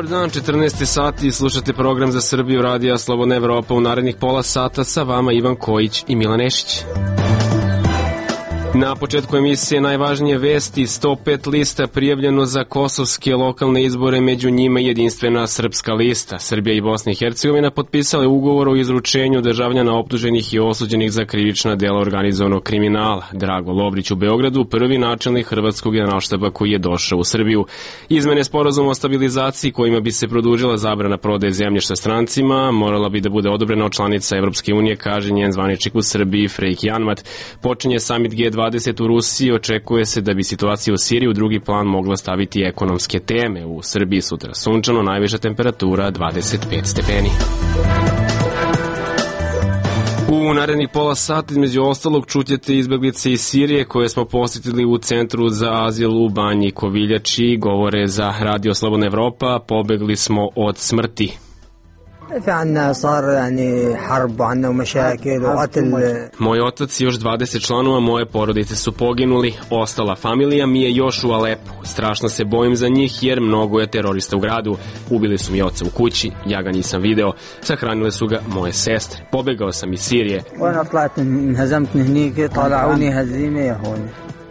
Dobar dan, 14. sati, slušate program za Srbiju Radija Slobodna Evropa. U narednih pola sata sa vama Ivan Kojić i Milan Nešić. Na početku emisije najvažnije vesti: 105 lista prijavljeno za kosovske lokalne izbore, među njima jedinstvena srpska lista. Srbija i Bosna i Hercegovina potpisale ugovor o izručenju državljana optuženih i osuđenih za krivična dela organizovanog kriminala. Drago Lovrić u Beogradu, prvi načelnik hrvatskog generalštaba koji je došao u Srbiju. Izmene sporazuma o stabilizaciji kojima bi se produžila zabrana prodaje zemljišta strancima morala bi da bude odobrena od članica Evropske unije, kaže njen zvaničnik u Srbiji Freik Janmat. Počinje samit G20 u Rusiji, očekuje se da bi situacija u Siriji u drugi plan mogla staviti ekonomske teme. U Srbiji sutra sunčano, najviša temperatura 25 stepeni. U narednih pola sata između ostalog čućete izbeglice iz Sirije koje smo posjetili u centru za azil u Banji Koviljači. Govore za Radio Slobodna Evropa, pobegli smo od smrti. Moj otac i još 20 članova moje porodice su poginuli, ostala familija mi je još u Alepu. Strašno se bojim za njih jer mnogo je terorista u gradu. Ubili su mi oca u kući, ja ga nisam video, sahranile su ga moje sestre. Pobegao sam iz Sirije.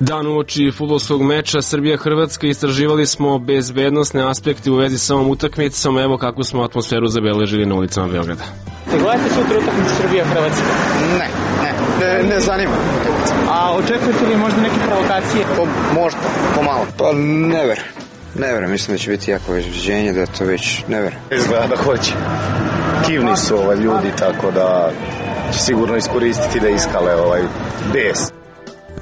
Dan uoči fudbalskog meča Srbija-Hrvatska istraživali smo bezbednosne aspekte u vezi sa ovom utakmicom. Evo kakvu smo atmosferu zabeležili na ulicama Beograda. Gledate sutra utakmicu Srbija-Hrvatska? Ne zanima. A očekujete li možda neke provokacije? Možda, pomalo. Pa ne verujem, mislim da će biti jako izviđenje, da to već ne verujem. Izgleda da hoće. Kivni su ljudi, tako da će sigurno iskoristiti da iskale bes.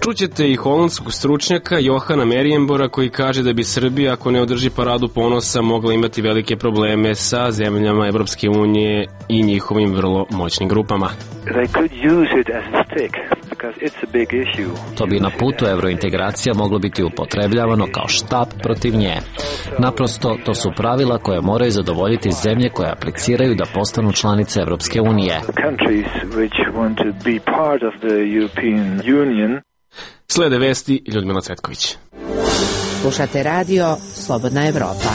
Čućete i holandskog stručnjaka Johana Merijembora koji kaže da bi Srbija, ako ne održi paradu ponosa, mogla imati velike probleme sa zemljama Evropske unije i njihovim vrlo moćnim grupama. To bi na putu evrointegracija moglo biti upotrebljavano kao štap protiv nje. Naprosto, to su pravila koje moraju zadovoljiti zemlje koje apliciraju da postanu članice Evropske unije. Slede vesti Ljudmila Cvetković. Slušate radio Slobodna Evropa.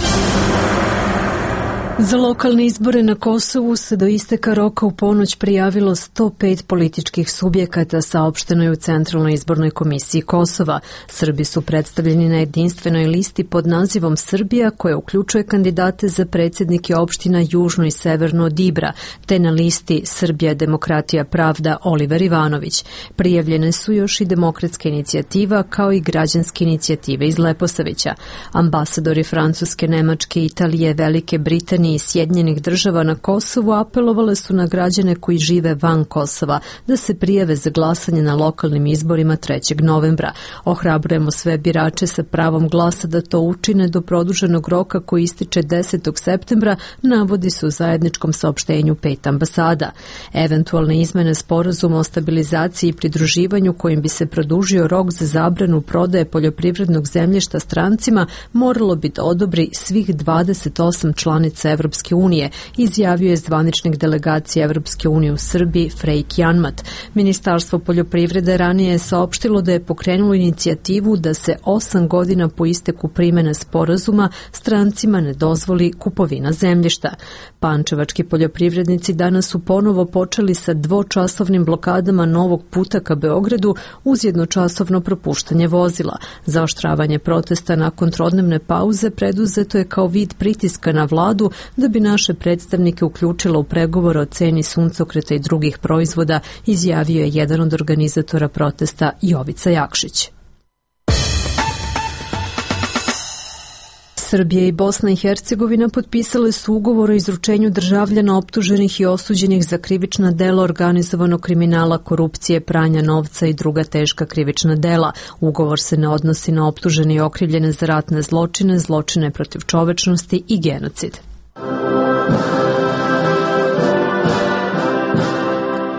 Za lokalne izbore na Kosovu se do isteka roka u ponoć prijavilo 105 političkih subjekata, saopšteno je u Centralnoj izbornoj komisiji Kosova. Srbi su predstavljeni na jedinstvenoj listi pod nazivom Srbija, koja uključuje kandidate za predsjednike opština južno i severno od Ibra, te na listi Srbija, demokratija, pravda Oliver Ivanović. Prijavljene su još i Demokratska inicijativa kao i građanske inicijative iz Leposavića. Ambasadori Francuske, Nemačke, Italije, Velike Britanije i Sjedinjenih država na Kosovu apelovale su na građane koji žive van Kosova da se prijave za glasanje na lokalnim izborima 3. novembra. Ohrabrujemo sve birače sa pravom glasa da to učine do produženog roka koji ističe 10. septembra, navodi se u zajedničkom saopštenju 5 ambasada. Eventualne izmene sporazuma o stabilizaciji i pridruživanju kojim bi se produžio rok za zabranu prodaje poljoprivrednog zemljišta strancima moralo bi da odobri svih 28 članica Evropske unije, izjavio je zvaničnik delegacije Evropske unije u Srbiji Freik Janmat. Ministarstvo poljoprivrede ranije je saopštilo da je pokrenulo inicijativu da se 8 godina po isteku primene sporazuma strancima ne dozvoli kupovina zemljišta. Pančevački poljoprivrednici danas su ponovo počeli sa dvočasovnim blokadama novog puta ka Beogradu uz jednočasovno propuštanje vozila. Zaoštravanje protesta nakon trodnevne pauze preduzeto je kao vid pritiska na vladu da bi naše predstavnike uključila u pregovore o ceni suncokreta i drugih proizvoda, izjavio je jedan od organizatora protesta Jovica Jakšić. Srbija i Bosna i Hercegovina potpisale su ugovor o izručenju državljana optuženih i osuđenih za krivična dela organizovanog kriminala, korupcije, pranja novca i druga teška krivična dela. Ugovor se ne odnosi na optužene i okrivljene za ratne zločine, zločine protiv čovečnosti i genocid.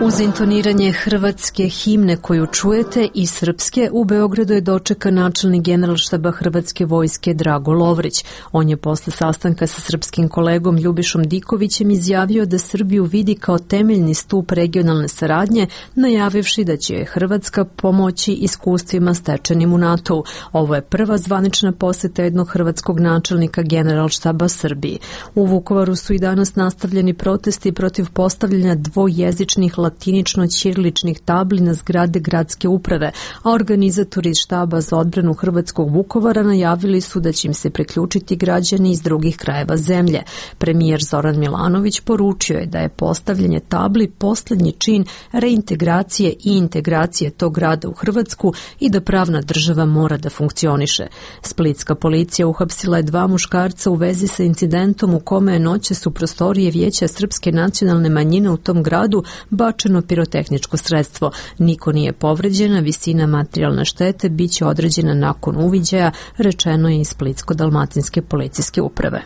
Uz intoniranje hrvatske himne koju čujete i srpske, u Beogradu je dočekan načelnik Generalštaba Hrvatske vojske Drago Lovrić. On je posle sastanka sa srpskim kolegom Ljubišom Dikovićem izjavio da Srbiju vidi kao temeljni stup regionalne saradnje, najavivši da će Hrvatska pomoći iskustvima stečenim u NATO-u. Ovo je prva zvanična poseta jednog hrvatskog načelnika Generalštaba Srbiji. U Vukovaru su i danas nastavljeni protesti protiv postavljanja dvojezičnih latinično-ćiriličnih tabli na zgrade gradske uprave, a organizatori iz štaba za odbranu hrvatskog Vukovara najavili su da će im se priključiti građani iz drugih krajeva zemlje. Premijer Zoran Milanović poručio je da je postavljanje tabli poslednji čin reintegracije i integracije tog grada u Hrvatsku i da pravna država mora da funkcioniše. Splitska policija uhapsila je 2 muškarca u vezi sa incidentom u kome je noćas u prostorije Vijeća srpske nacionalne manjine u tom gradu bačeno pirotehničko sredstvo. Niko nije povređena, visina materijalne štete biće određena nakon uviđaja, rečeno je iz Splitsko-dalmatinske policijske uprave.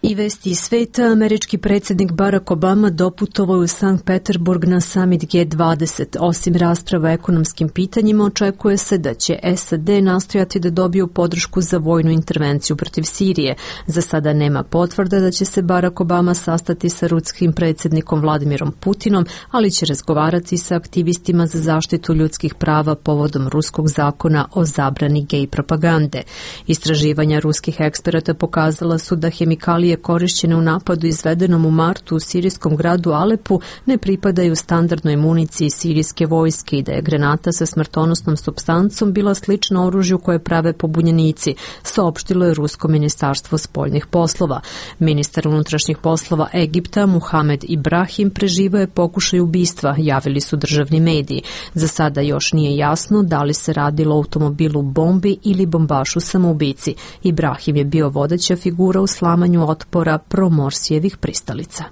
I vesti iz sveta, američki predsjednik Barack Obama doputovao u Sankt Peterburg na summit G20. Osim rasprava o ekonomskim pitanjima, očekuje se da će SAD nastojati da dobiju podršku za vojnu intervenciju protiv Sirije. Za sada nema potvrda da će se Barack Obama sastati sa ruskim predsjednikom Vladimirom Putinom, ali će razgovarati sa aktivistima za zaštitu ljudskih prava povodom ruskog zakona o zabrani gej propagande. Istraživanja ruskih eksperata pokazala su da hemikalije korišćene u napadu izvedenom u martu u sirijskom gradu Alepu ne pripadaju standardnoj municiji sirijske vojske i da je granata sa smrtonosnom supstancom bila slična oružju koje prave pobunjenici, saopštilo je Rusko ministarstvo spoljnih poslova. Ministar unutrašnjih poslova Egipta Muhamed Ibrahim preživao je pokušaj ubistva, javili su državni mediji. Za sada još nije jasno da li se radilo o automobilu bombi ili bombašu samoubici. Ibrahim je bio vodeća figura u slamanju otpora promorsijevih pristalica.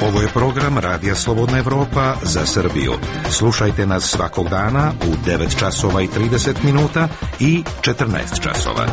Ovo je program Radija Slobodna Evropa za Srbiju. Slušajte nas svakog dana u 9 časova i 30 minuta i 14 časova.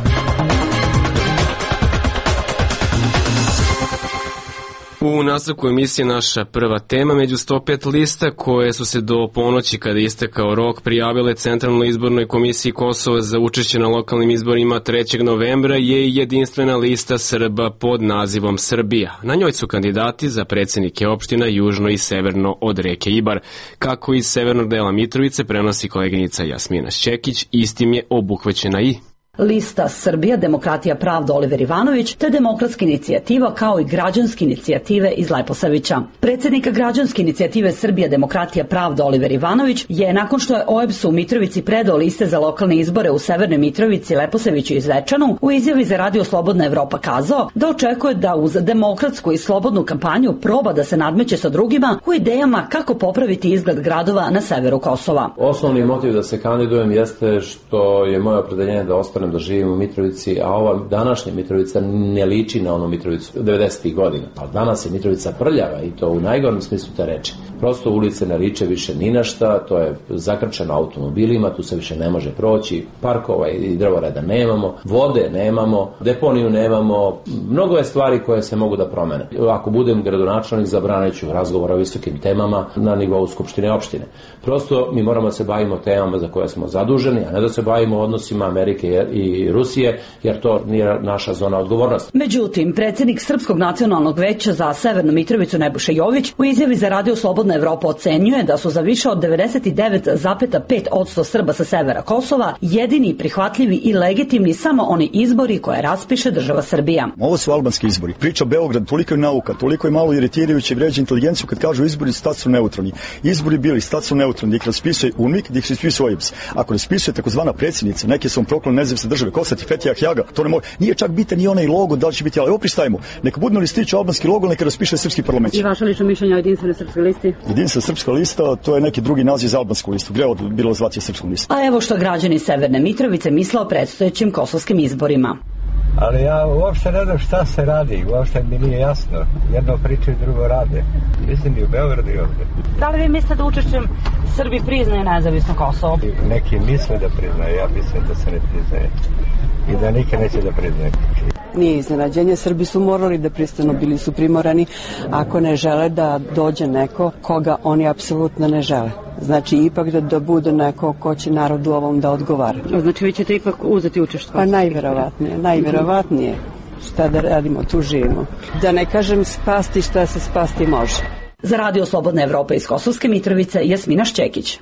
U nastavku emisije naša prva tema, među 105 lista koje su se do ponoći kada je istekao rok prijavile Centralnoj izbornoj komisiji Kosova za učešće na lokalnim izborima 3. novembra je i jedinstvena lista Srba pod nazivom Srbija. Na njoj su kandidati za predsjednike opština južno i severno od reke Ibar. Kako iz severnog dela Mitrovice prenosi koleginica Jasmina Šćekić, istim je obuhvaćena i lista Srbija, Demokratija, Pravda Oliver Ivanović, te Demokratska inicijativa kao i građanske inicijative iz Leposavića. Predsjednik građanske inicijative Srbija, Demokratija, Pravda Oliver Ivanović je nakon što je OEBS u Mitrovici predao liste za lokalne izbore u Severnoj Mitrovici, Leposaviću i Zvečanu, u izjavi za Radio Slobodna Evropa kazao da očekuje da uz demokratsku i slobodnu kampanju proba da se nadmeće sa drugima u idejama kako popraviti izgled gradova na severu Kosova. Osnovni motiv da se kandidujem jeste što je moje opredeljenje da ostanem da živim u Mitrovici, a ova današnja Mitrovica ne liči na onu Mitrovicu 90. godina. Ali danas je Mitrovica prljava i to u najgorem smislu te reči. Prosto ulice ne liče više ni na šta, to je zakrčeno automobilima, tu se više ne može proći, parkova i drvoreda nemamo, vode nemamo, deponiju nemamo, mnogo je stvari koje se mogu da promene. Ako budem gradonačelnik, zabranit ću razgovor o visokim temama na nivou skupštine opštine. Prosto mi moramo da se bavimo temama za koje smo zaduženi, a ne da se bavimo odnosima Amerike i Rusije, jer to nije naša zona odgovornosti. Međutim, predsjednik Srpskog nacionalnog veća za Severnu Mitrovicu Nebojša Jović u izjavi za Radio Slobodna Evropa ocenjuje da su za više od 99,5% Srba sa severa Kosova jedini prihvatljivi i legitimni samo oni izbori koje raspiše država Srbija. Ovo su albanski izbori. Priča Beograd, toliko je nauka, toliko je malo iritirajuće, vređa inteligenciju kad kažu izbori stat su neutralni. Izbori bili stat su neutralni, gdje ih raspisuje UNMIK, gdje ih raspisuje OEBS. Ako raspisuje takozvana predsjednica, neke su proklone nezavisne države, Kosati, Fetija, Hjaga, to ne može. Nije čak bitan ni onaj logo, da li će biti, ali opristajmo. Neka budu listići albanski logo, neka raspiše srpski parlament. I vaše lično mišljenje o jedinstvenoj srpskoj listi? Jedinstvena srpska lista, to je neki drugi naziv za albansku listu. Gde je bilo zvacija srpsku listu? A evo što građani Severne Mitrovice misle o predstojećim kosovskim izborima. Ali ja uopšte ne znam šta se radi, uopšte mi nije jasno. Jedno pričaju, drugo rade. Mislim i u Beogradu i ovde. Da li vi mislite da učešćem Srbi priznaju nezavisno Kosovo? Neki misle da priznaju, ja mislim da se ne priznaje. I da nikad neće da priznaje. Nije iznenađenje, Srbi su morali da pristanu, bili su primorani ako ne žele da dođe neko koga oni apsolutno ne žele. Znači ipak da bude neko ko će narodu ovom da odgovara. Znači vi ćete ipak uzeti učešće? Pa najverovatnije. Šta da radimo, tu živimo. Da ne kažem spasti šta se spasti može. Za Radio Slobodna Evropa iz Kosovske Mitrovice, Jasmina Šćekić.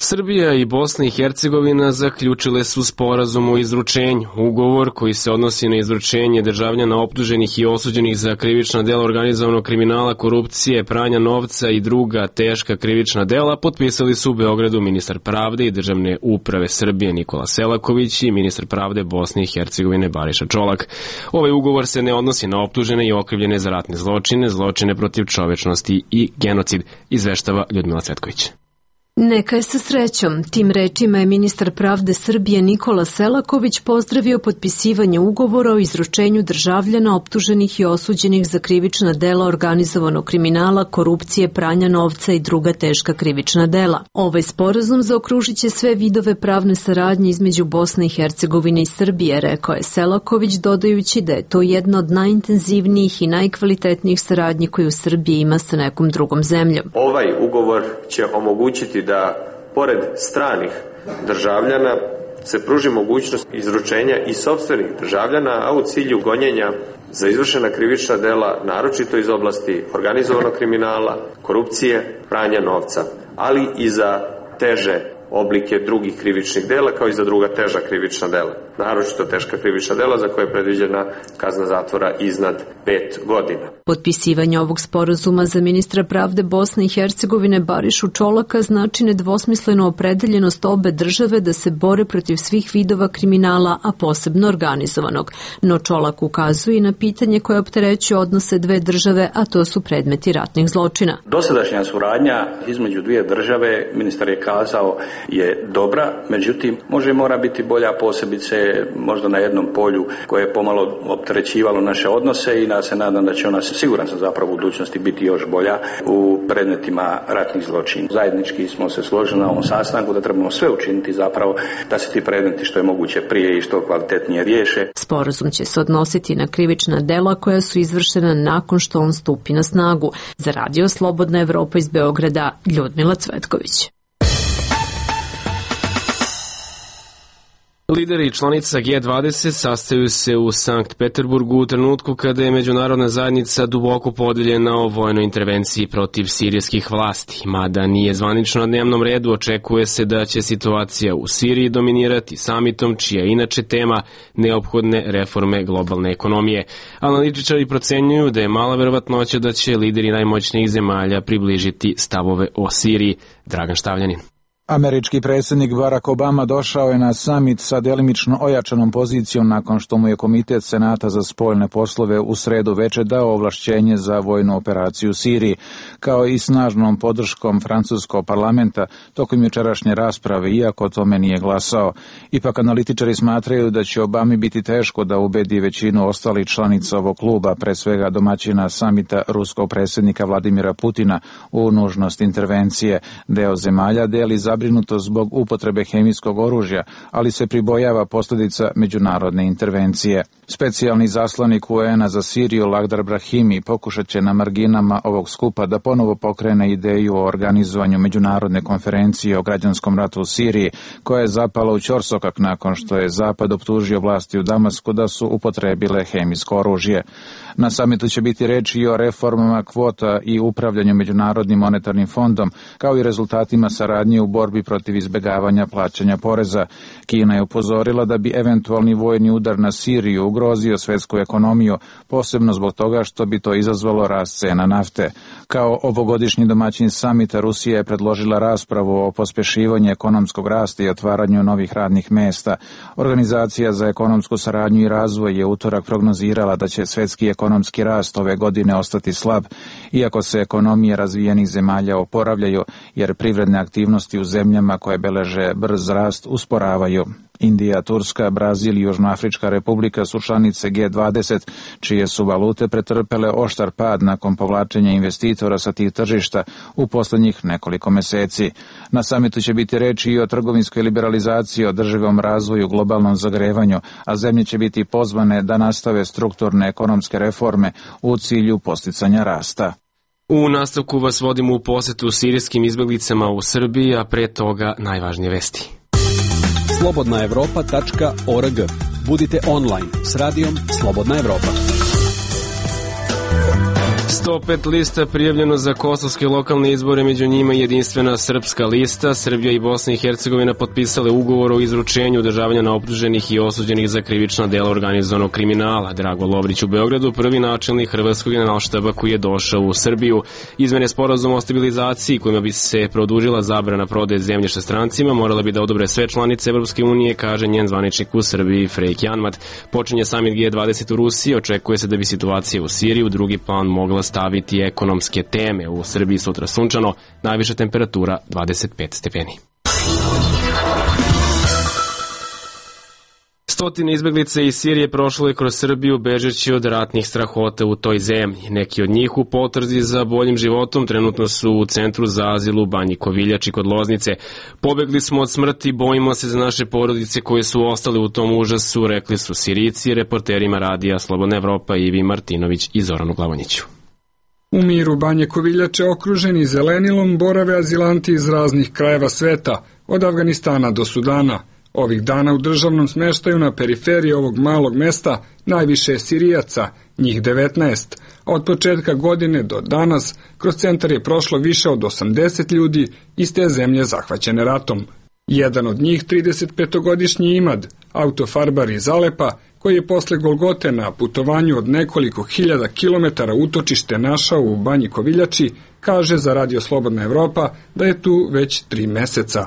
Srbija i Bosna i Hercegovina zaključile su sporazum o izručenju. Ugovor koji se odnosi na izručenje državljana optuženih i osuđenih za krivična dela organizovanog kriminala, korupcije, pranja novca i druga teška krivična dela potpisali su u Beogradu ministar pravde i državne uprave Srbije Nikola Selaković i ministar pravde Bosne i Hercegovine Bariša Čolak. Ovaj ugovor se ne odnosi na optužene i okrivljene za ratne zločine, zločine protiv čovečnosti i genocid, izveštava Ljudmila Cvetković. Neka je sa srećom. Tim rečima je ministar pravde Srbije Nikola Selaković pozdravio potpisivanje ugovora o izručenju državljana optuženih i osuđenih za krivična dela organizovanog kriminala, korupcije, pranja novca i druga teška krivična dela. Ovaj sporazum zaokružit će sve vidove pravne saradnje između Bosne i Hercegovine i Srbije, rekao je Selaković, dodajući da je to jedna od najintenzivnijih i najkvalitetnijih saradnji koju Srbija ima sa nekom drugom zemljom. Ovaj ugovor će omogućiti da, pored stranih državljana, se pruži mogućnost izručenja i sopstvenih državljana, a u cilju gonjenja za izvršena krivična dela, naročito iz oblasti organizovanog kriminala, korupcije, pranja novca, ali i za teže oblike drugih krivičnih dela, kao i za druga teža krivična dela. Naročito teška krivična dela za koje je predviđena kazna zatvora iznad 5 godina. Potpisivanje ovog sporazuma za ministra pravde Bosne i Hercegovine Barišu Čolaka znači nedvosmislenu opredeljenost obe države da se bore protiv svih vidova kriminala, a posebno organizovanog. No Čolak ukazuje i na pitanje koje opterećuje odnose dve države, a to su predmeti ratnih zločina. Dosadašnja suradnja između dvije države, ministar je kazao, je dobra, međutim mora biti bolja, posebice možda na jednom polju koje je pomalo opterećivalo naše odnose i se nadam da će ona, siguran sam zapravo u budućnosti, biti još bolja u predmetima ratnih zločina. Zajednički smo se složili na ovom sastanku da trebamo sve učiniti zapravo da se ti predmeti što je moguće prije i što kvalitetnije riješe. Sporazum će se odnositi na krivična dela koja su izvršena nakon što on stupi na snagu. Za Radio Slobodna Evropa iz Beograda, Ljudmila Cvetković. Lideri članica G20 sastaju se u Sankt Peterburgu u trenutku kada je međunarodna zajednica duboko podeljena o vojnoj intervenciji protiv sirijskih vlasti. Mada nije zvanično na dnevnom redu, očekuje se da će situacija u Siriji dominirati samitom, čija je inače tema neophodne reforme globalne ekonomije. Analitičari procenjuju da je mala verovatnoća da će lideri najmoćnijih zemalja približiti stavove o Siriji. Dragan Štavljanin. Američki predsjednik Barack Obama došao je na samit sa delimično ojačanom pozicijom nakon što mu je Komitet Senata za spoljne poslove u sredu veče dao ovlašćenje za vojnu operaciju u Siriji, kao i snažnom podrškom francuskog parlamenta tokom jučerašnje rasprave, iako o tome nije glasao. Ipak analitičari smatraju da će Obami biti teško da ubedi većinu ostalih članica ovog kluba, pre svega domaćina samita ruskog predsjednika Vladimira Putina, u nužnost intervencije. Deo zemalja deli zabrinuto zbog upotrebe hemijskog oružja, ali se pribojava posljedica međunarodne intervencije. Specijalni zaslanik UN-a za Siriju Lagdar Brahimi pokušat će na marginama ovog skupa da ponovo pokrene ideju o organizovanju međunarodne konferencije o građanskom ratu u Siriji, koja je zapala u ćorsokak nakon što je Zapad optužio vlasti u Damasku da su upotrebile hemijsko oružje. Na samitu će biti reči i o reformama kvota i upravljanju Međunarodnim monetarnim fondom, kao i rezultatima saradnje u borbi protiv izbjegavanja plaćanja poreza. Kina je upozorila da bi eventualni vojni udar na Siriju ugrozio svjetsku ekonomiju, posebno zbog toga što bi to izazvalo rast cena nafte. Kao ovogodišnji domaćin samita, Rusija je predložila raspravu o pospješivanju ekonomskog rasta i otvaranju novih radnih mjesta. Organizacija za ekonomsku saradnju i razvoj je utorak prognozirala da će svjetski ekonomski rast ove godine ostati slab iako se ekonomije razvijenih zemalja oporavljaju, jer privredne aktivnosti u zemljama koje beleže brz rast usporavaju. Indija, Turska, Brazil i Južnoafrička republika su članice G20, čije su valute pretrpele oštar pad nakon povlačenja investitora sa tih tržišta u poslednjih nekoliko meseci. Na samitu će biti reči i o trgovinskoj liberalizaciji, održivom razvoju, globalnom zagrevanju, a zemlje će biti pozvane da nastave strukturne ekonomske reforme u cilju posticanja rasta. U nastavku vas vodimo u posetu sirijskim izbeglicama u Srbiji, a pre toga najvažnije vesti. slobodnaevropa.org. Budite online s radijom Slobodna Evropa. 105 lista prijavljeno za kosovske lokalne izbore, među njima jedinstvena srpska lista. Srbija i Bosna i Hercegovina potpisale ugovor o izručenju državljana optuženih i osuđenih za krivična dela organizovanog kriminala. Drago Lovrić u Beogradu, prvi načelnik Hrvatskog generalštaba koji je došao u Srbiju. Izmene sporazuma o stabilizaciji kojima bi se produžila zabrana prodaje zemljišta strancima morala bi da odobre sve članice Evropske unije, kaže njen zvaničnik u Srbiji Frejk Janmat. Počinje samit G20 u Rusiji, očekuje se da bi situacija u Siriji u drugi plan mogla staviti ekonomske teme. U Srbiji sutra sunčano, najviša temperatura 25 stepeni. Stotine izbeglica iz Sirije prošlo je kroz Srbiju bežeći od ratnih strahota u toj zemlji. Neki od njih u potrzi za boljim životom trenutno su u centru za azil u Banji Koviljači kod Loznice. Pobegli smo od smrti, bojimo se za naše porodice koje su ostale u tom užasu, rekli su Sirijci reporterima radija Slobodna Evropa Ivi Martinović i Zoranu Glavonjiću. U miru Banje Koviljače, okruženi zelenilom, borave azilanti iz raznih krajeva sveta, od Afganistana do Sudana. Ovih dana u državnom smeštaju na periferiji ovog malog mesta najviše je Sirijaca, njih 19, a od početka godine do danas kroz centar je prošlo više od 80 ljudi iz te zemlje zahvaćene ratom. Jedan od njih, 35-godišnji Imad, autofarbar iz Alepa, koji je posle Golgote na putovanju od nekoliko hiljada kilometara utočište našao u Banji Koviljači, kaže za Radio Slobodna Evropa da je tu već 3 meseca.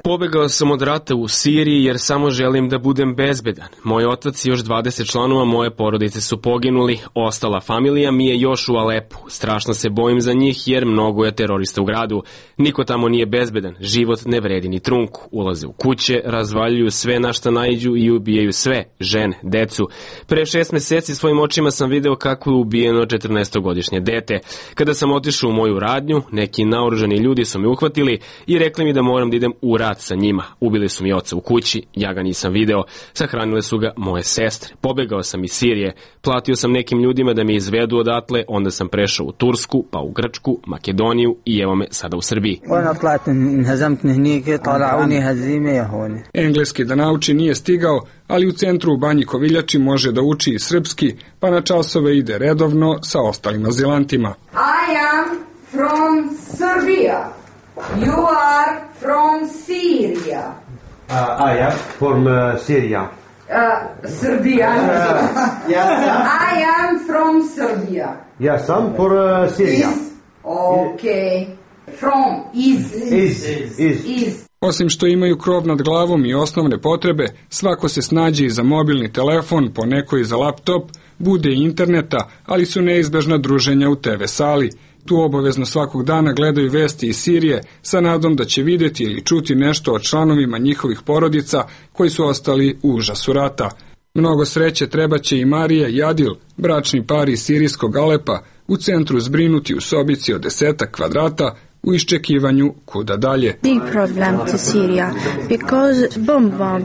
Pobegao sam od rata u Siriji jer samo želim da budem bezbedan. Moj otac i još 20 članova moje porodice su poginuli, ostala familija mi je još u Alepu. Strašno se bojim za njih jer mnogo je terorista u gradu. Niko tamo nije bezbedan, život ne vredi ni trunku. Ulaze u kuće, razvaljuju sve na šta naiđu i ubijaju sve, žene, decu. Pre 6 meseci svojim očima sam video kako je ubijeno 14-godišnje dete. Kada sam otišao u moju radnju, neki naoružani ljudi su me uhvatili i rekli mi da moram da idem u rat sa njima. Ubili su mi oca u kući, ja ga nisam video, sahranile su ga moje sestre. Pobegao sam iz Sirije, platio sam nekim ljudima da me izvedu odatle, onda sam prešao u Tursku, pa u Grčku, Makedoniju i evo me sada u Srbiji. Engleski da nauči nije stigao, ali u centru u Banji Koviljači može da uči i srpski, pa na časove ide redovno sa ostalim azilantima. I am from Serbia. You are from Syria. I am from Syria. Serbia. I am from Serbia. Yes, I'm for Syria. Okay. From is. Osim što imaju krov nad glavom i osnovne potrebe, svako se snađe i za mobilni telefon, poneko i za laptop, bude i interneta, ali su neizbežna druženja u TV sali. Tu obavezno svakog dana gledaju vesti iz Sirije sa nadom da će vidjeti ili čuti nešto o članovima njihovih porodica koji su ostali u užasu rata. Mnogo sreće trebaće i Marija i Adil, bračni par iz sirijskog Alepa, u centru zbrinuti u sobici od 10 kvadrata, u iščekivanju kuda dalje. Big problem to Syria because bomba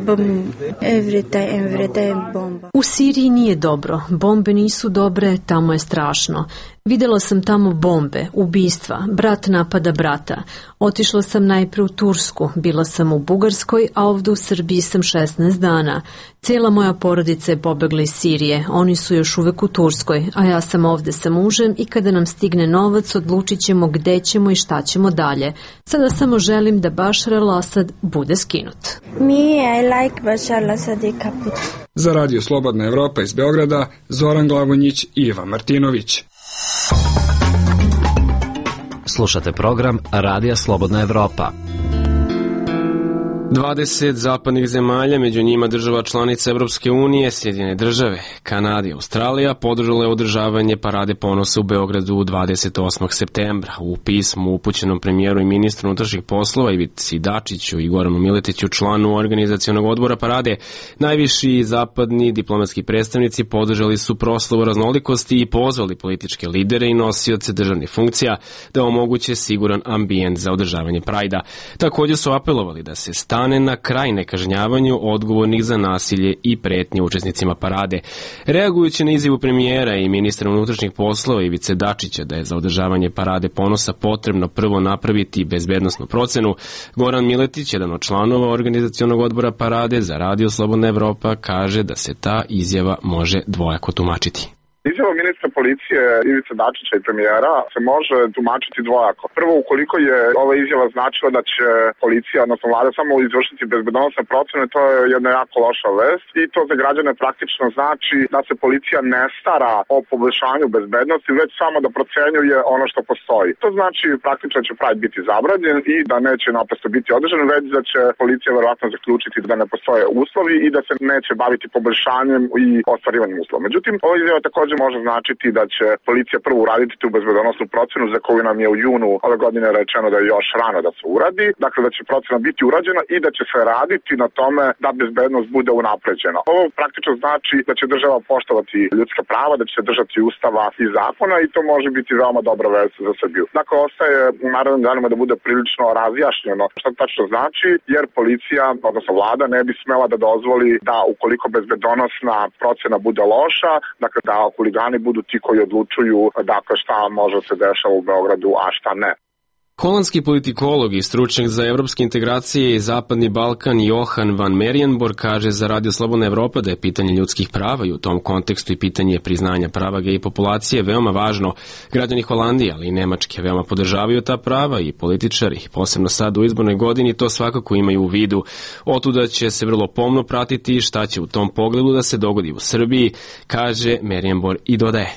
every day bomba. U Siriji nije dobro, bombe nisu dobre, tamo je strašno. Videla sam tamo bombe, ubistva, brat napada brata. Otišla sam najpre u Tursku, bila sam u Bugarskoj, a ovdje u Srbiji sam 16 dana. Cijela moja porodica je pobegla iz Sirije, oni su još uvek u Turskoj, a ja sam ovdje sa mužem i kada nam stigne novac odlučit ćemo gde ćemo i šta ćemo dalje. Sada samo želim da Bašar al-Asad bude skinut. I like Bašar al-Asad i kaput. Za Radio Slobodna Evropa iz Beograda, Zoran Glavonjić i Iva Martinović. Slušate program Radija Slobodna Evropa. 20 zapadnih zemalja, među njima država članica Evropske unije, Sjedinjene države, Kanada i Australija, podržale održavanje Parade ponosa u Beogradu 28. septembra. U pismu upućenom premijeru i ministru unutrašnjih poslova Ivici Dačiću i Goranu Miletiću, članu organizacionog odbora Parade, najviši zapadni diplomatski predstavnici podržali su proslavu raznolikosti i pozvali političke lidere i nosioce državnih funkcija da omoguće siguran ambijent za održavanje Prajda. Također su apelovali da se stane na kraj nekažnjavanju odgovornih za nasilje i pretnje učesnicima parade. Reagujući na izjavu premijera i ministra unutrašnjih poslova Ivice Dačića da je za održavanje Parade ponosa potrebno prvo napraviti bezbednosnu procenu, Goran Miletić, jedan od članova organizacionog odbora Parade za Radio Slobodna Evropa, kaže da se ta izjava može dvojako tumačiti. Izjava ministra policije Ivice Dačića i premijera se može tumačiti dvojako. Prvo, ukoliko je ova izjava značila da će policija, odnosno vlada, samo izvršiti bezbednosne procene, to je jedna jako loša vest i to za građane praktično znači da se policija ne stara o poboljšanju bezbednosti, već samo da procenjuje ono što postoji. To znači praktično će Pride biti zabranjen i da neće naprosto biti održan, već da će policija verovatno zaključiti da ne postoje uslovi i da se neće baviti poboljšanjem i ostvarivanjem uslova. Međutim, ova izjava također može značiti da će policija prvo uraditi tu bezbednosnu procenu za koju nam je u junu ove godine rečeno da je još rano da se uradi, dakle da će procena biti urađena i da će se raditi na tome da bezbednost bude unapređena. Ovo praktično znači da će država poštovati ljudska prava, da će se držati ustava i zakona i to može biti veoma dobra vest za Srbiju. Dakle, ostaje u narednim danima da bude prilično razjašnjeno šta tačno znači, jer policija, odnosno vlada, ne bi smela da dozvoli da ukoliko bezbednosna procena bude loša, dakle da huligani budu ti koji odlučuju dakle šta može se dešava u Beogradu, a šta ne. Holandski politikolog i stručnjak za evropske integracije i Zapadni Balkan Johan van Merijenborg kaže za Radio Slobodna Evropa da je pitanje ljudskih prava i u tom kontekstu i pitanje priznanja prava gej populacije veoma važno. Građani Holandije, ali i Nemačke veoma podržavaju ta prava i političari, posebno sad u izbornoj godini, to svakako imaju u vidu. Otuda će se vrlo pomno pratiti šta će u tom pogledu da se dogodi u Srbiji, kaže Merijenborg i dodaje.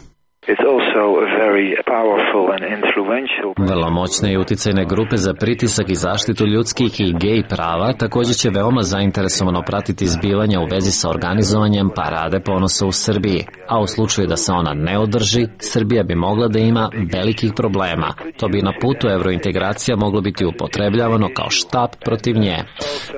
Vrlo moćne i uticajne grupe za pritisak i zaštitu ljudskih i gej prava također će veoma zainteresovano pratiti zbivanja u vezi sa organizovanjem Parade ponosa u Srbiji, a u slučaju da se ona ne održi, Srbija bi mogla da ima velikih problema. To bi na putu evrointegracija moglo biti upotrebljavano kao štap protiv nje.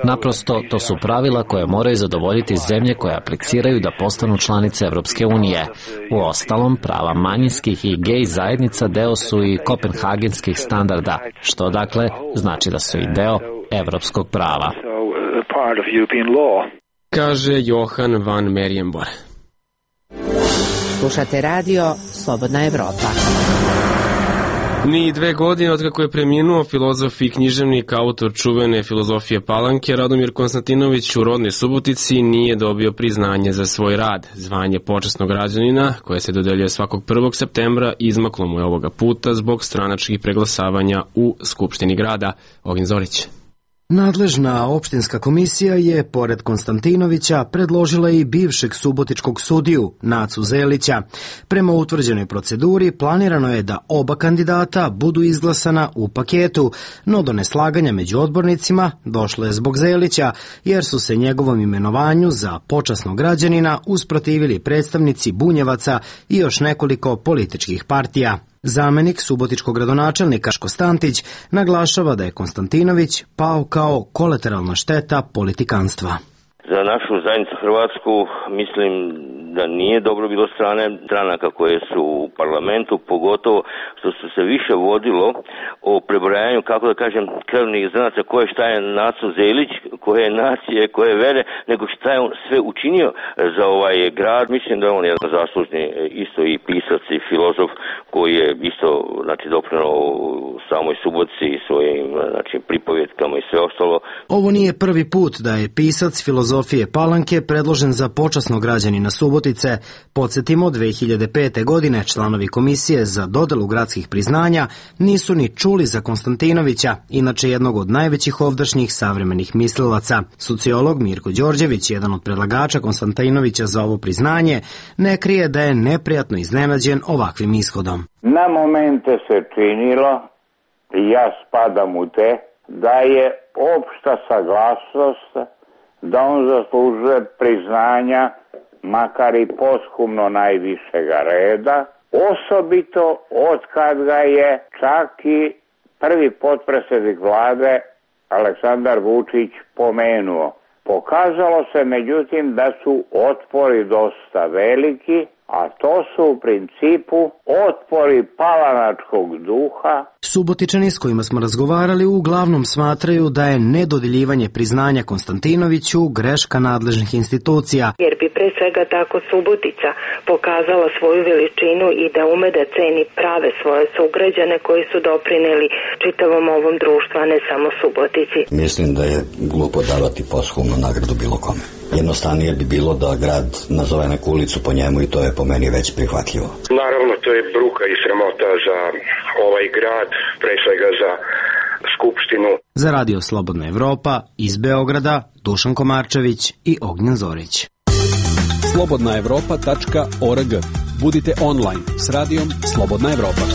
Naprosto, to su pravila koje moraju zadovoljiti zemlje koje apliciraju da postanu članice Evropske unije. Uostalom, prava manjinskih i gej zajednica deo su i kopenhagenskih standarda, što dakle znači da su i deo evropskog prava. Kaže Johan van Merijenborg. Slušate radio Slobodna Evropa. Ni 2 godine od kako je preminuo filozof i književnik, autor čuvene filozofije Palanke, Radomir Konstantinović u rodnoj Subotici nije dobio priznanje za svoj rad. Zvanje počasnog građanina, koje se dodeljuje svakog 1. septembra, izmaklo mu je ovoga puta zbog stranačkih preglasavanja u Skupštini grada. Ogin Zorić. Nadležna opštinska komisija je, pored Konstantinovića, predložila i bivšeg subotičkog sudiju, Nacu Zelića. Prema utvrđenoj proceduri, planirano je da oba kandidata budu izglasana u paketu, no do neslaganja među odbornicima došlo je zbog Zelića, jer su se njegovom imenovanju za počasnog građanina usprotivili predstavnici Bunjevaca i još nekoliko političkih partija. Zamenik subotičkog gradonačelnika Ško Stantić naglašava da je Konstantinović pao kao kolateralna šteta politikanstva. Za našu zajednicu Hrvatsku mislim da nije dobro bilo stranaka koje su u parlamentu, pogotovo što su se više vodilo o prebrojanju, kako da kažem, krvnih zrnaca koje šta je Naco Zelić, koje je nacije, koje je vere, nego šta je on sve učinio za ovaj grad. Mislim da je on jedan zaslužni isto i pisac i filozof koji je isto doprineo samoj Subotici i svojim pripovjetkama i sve ostalo. Ovo nije prvi put da je pisac filozofije Palanke predložen za počasnog građanina Subotice. Podsjetimo, 2005. godine članovi komisije za dodelu gradskih priznanja nisu ni čuli za Konstantinovića, inače jednog od najvećih ovdašnjih savremenih mislilaca. Sociolog Mirko Đorđević, jedan od predlagača Konstantinovića za ovo priznanje, ne krije da je neprijatno iznenađen ovakvim ishodom. Na momente se činilo, i ja spadam u te, da je opšta saglasnost da on zaslužuje priznanja, makar i posthumno najvišega reda, osobito od kad ga je čak i prvi potpredsjednik vlade Aleksandar Vučić pomenuo. Pokazalo se međutim da su otpori dosta veliki, a to su u principu otpori palanačkog duha. Subotičani s kojima smo razgovarali uglavnom smatraju da je nedodeljivanje priznanja Konstantinoviću greška nadležnih institucija. Jer bi pre svega tako Subotica pokazala svoju veličinu i da ume da ceni prave svoje sugrađane koji su doprineli čitavom ovom društvu, a ne samo Subotici. Mislim da je glupo davati posthumnu nagradu bilo kome. Jednostavnije bi bilo da grad nazove neku ulicu po njemu i to je po meni već prihvatljivo. Naravno, to je bruka i sramota za ovaj grad, pre svega za Skupštinu. Za Radio Slobodna Evropa iz Beograda Dušan Komarčević i Ognjen Zorić. slobodnaevropa.org. Budite online s radijom Slobodna Evropa.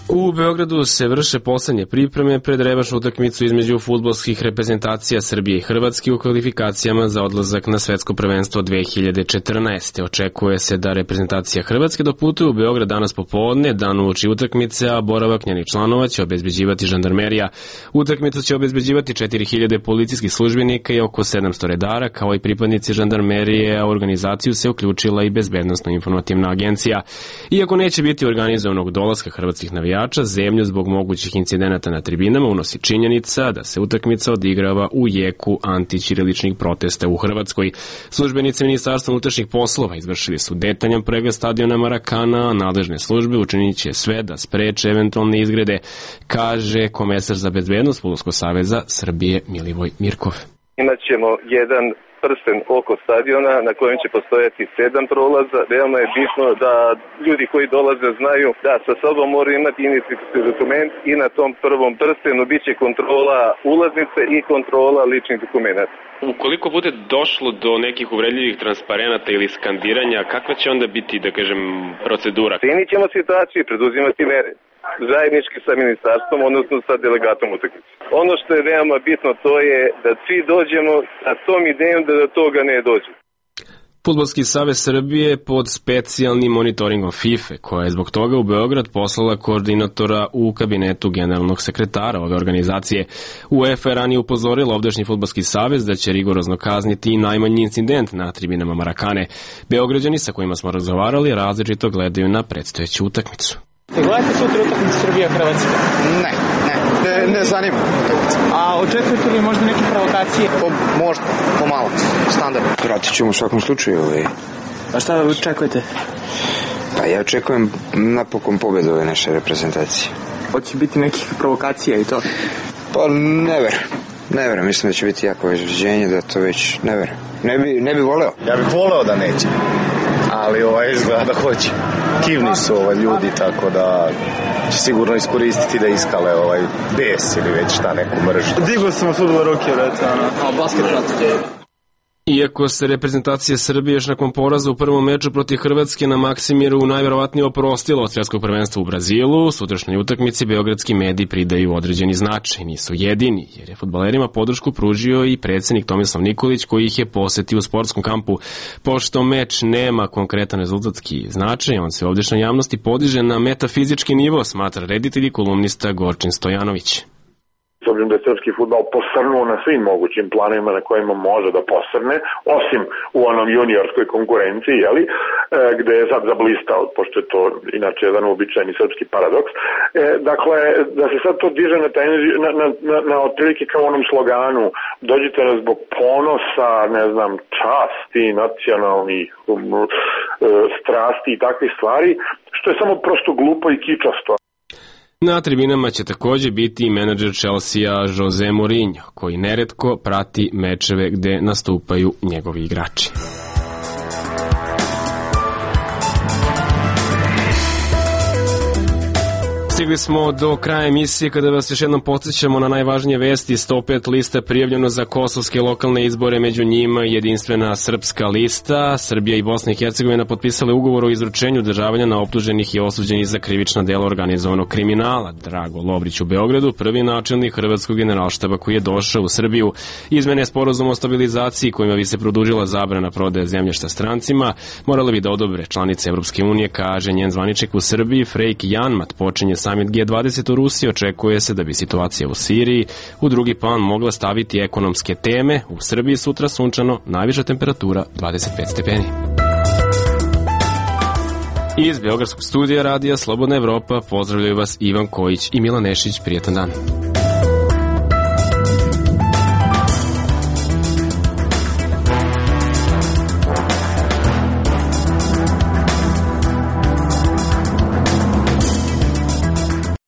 U Beogradu se vrše poslednje pripreme pred revanšnu utakmicu između fudbalskih reprezentacija Srbije i Hrvatske u kvalifikacijama za odlazak na svetsko prvenstvo 2014. Očekuje se da reprezentacija Hrvatske doputuje u Beograd danas popodne, dan uoči utakmice, a boravak njenih članova će obezbeđivati žandarmerija. Utakmicu će obezbeđivati 4000 policijskih službenika i oko 700 redara, kao i pripadnici žandarmerije, a u organizaciju se uključila i Bezbednosno-informativna agencija. Iako neće biti organizovanog dolaska hrvatskih navijača, zemlju zbog mogućih incidenata na tribinama unosi činjenica da se utakmica odigrava u jeku antićiriličnih protesta u Hrvatskoj. Službenici Ministarstva unutrašnjih poslova izvršili su detaljan pregled stadiona Marakana, a nadležne službe učinit će sve da spreče eventualne izgrede, kaže komesar za bezbednost Fudbalskog saveza Srbije Milivoj Mirkov. Imaćemo jedan prsten oko stadiona na kojem će postojati 7 prolaza. Veoma je bitno da ljudi koji dolaze znaju da sa sobom moraju imati identifikacijski dokument i na tom prvom prstenu biće kontrola ulaznice i kontrola ličnih dokumenta. Ukoliko bude došlo do nekih uvredljivih transparenata ili skandiranja, kakva će onda biti, da kažem, procedura? Cenit ćemo situaciju i preduzimati mere zajednički sa ministarstvom, odnosno sa delegatom utakmice. Ono što je veoma bitno to je da svi dođemo sa tom idejom da do toga ne dođe. Fudbalski savez Srbije pod specijalnim monitoringom FIFA, koja je zbog toga u Beograd poslala koordinatora u kabinetu generalnog sekretara ove organizacije. UEFA je ranije upozorila ovdašnji Fudbalski savez da će rigorozno kazniti i najmanji incident na tribinama Marakane. Beograđani sa kojima smo razgovarali različito gledaju na predstojeću utakmicu. Gledate sutra utakmicu Srbija-Hrvatska? Ne zanima. A očekujete li možda neke provokacije? Možda, pomalo, standardno. Pratit ćemo u svakom slučaju. A šta očekujete? Pa ja očekujem napokon pobedu ove naše reprezentacije. Hoće biti nekih provokacija i to? Pa ne verujem, mislim da će biti jako izraženje, da to već ne verujem. Ne bi voleo. Ja bih voleo da neće, ali izgleda da hoće. Kivni su ljudi, tako da će sigurno iskoristiti da iskale bes ili već šta, neku mržnju. Digao sam od fudbala ruke, a basket prati. Iako se reprezentacija Srbije još nakon poraza u prvom meču protiv Hrvatske na Maksimiru najverovatnije oprostila od svjetskog prvenstva u Brazilu, sutrašnjoj utakmici beogradski mediji pridaju određeni značaj. Nisu jedini, jer je fudbalerima podršku pružio i predsjednik Tomislav Nikolić, koji ih je posetio u sportskom kampu. Pošto meč nema konkretan rezultatski značaj, on se ovdješnjoj javnosti podiže na metafizički nivo, smatra reditelj i kolumnista Gorčin Stojanović. S obzirom da je srpski fudbal posrnuo na svim mogućim planovima na kojima može da posrne, osim u onom juniorskoj konkurenciji, gde je sad zablistao, pošto je to inače jedan uobičajeni srpski paradoks. Dakle, da se sad to diže na otprilike kao onom sloganu, dođite nas zbog ponosa, časti, nacionalnih strasti i takvih stvari, što je samo prosto glupo i kičasto. Na tribinama će također biti i menadžer Chelsea Jose Mourinho, koji neretko prati mečeve gde nastupaju njegovi igrači. Stigli smo do kraja emisije kada vas još jednom podsjećamo na najvažnije vesti. 105 lista prijavljeno za kosovske lokalne izbore, među njima jedinstvena srpska lista. Srbija i Bosna i Hercegovina potpisale ugovor o izručenju državljana na optuženih i osuđenih za krivična dela organizovanog kriminala. Drago Lovrić u Beogradu, prvi načelnik hrvatskog generalštaba koji je došao u Srbiju. Izmene sporazuma o stabilizaciji kojima bi se produžila zabrana prodaje zemljišta strancima morale bi da odobre članice Evropske unije, kaže njen zvaničnik u Srbiji Frejk Janmat. Počinje samit G20 u Rusiji, očekuje se da bi situacija u Siriji u drugi plan mogla staviti ekonomske teme. U Srbiji sutra sunčano, najviša temperatura 25 stepeni. Iz Beogradskog studija radija Slobodna Evropa pozdravljaju vas Ivan Kojić i Milan Nešić. Prijetan dan.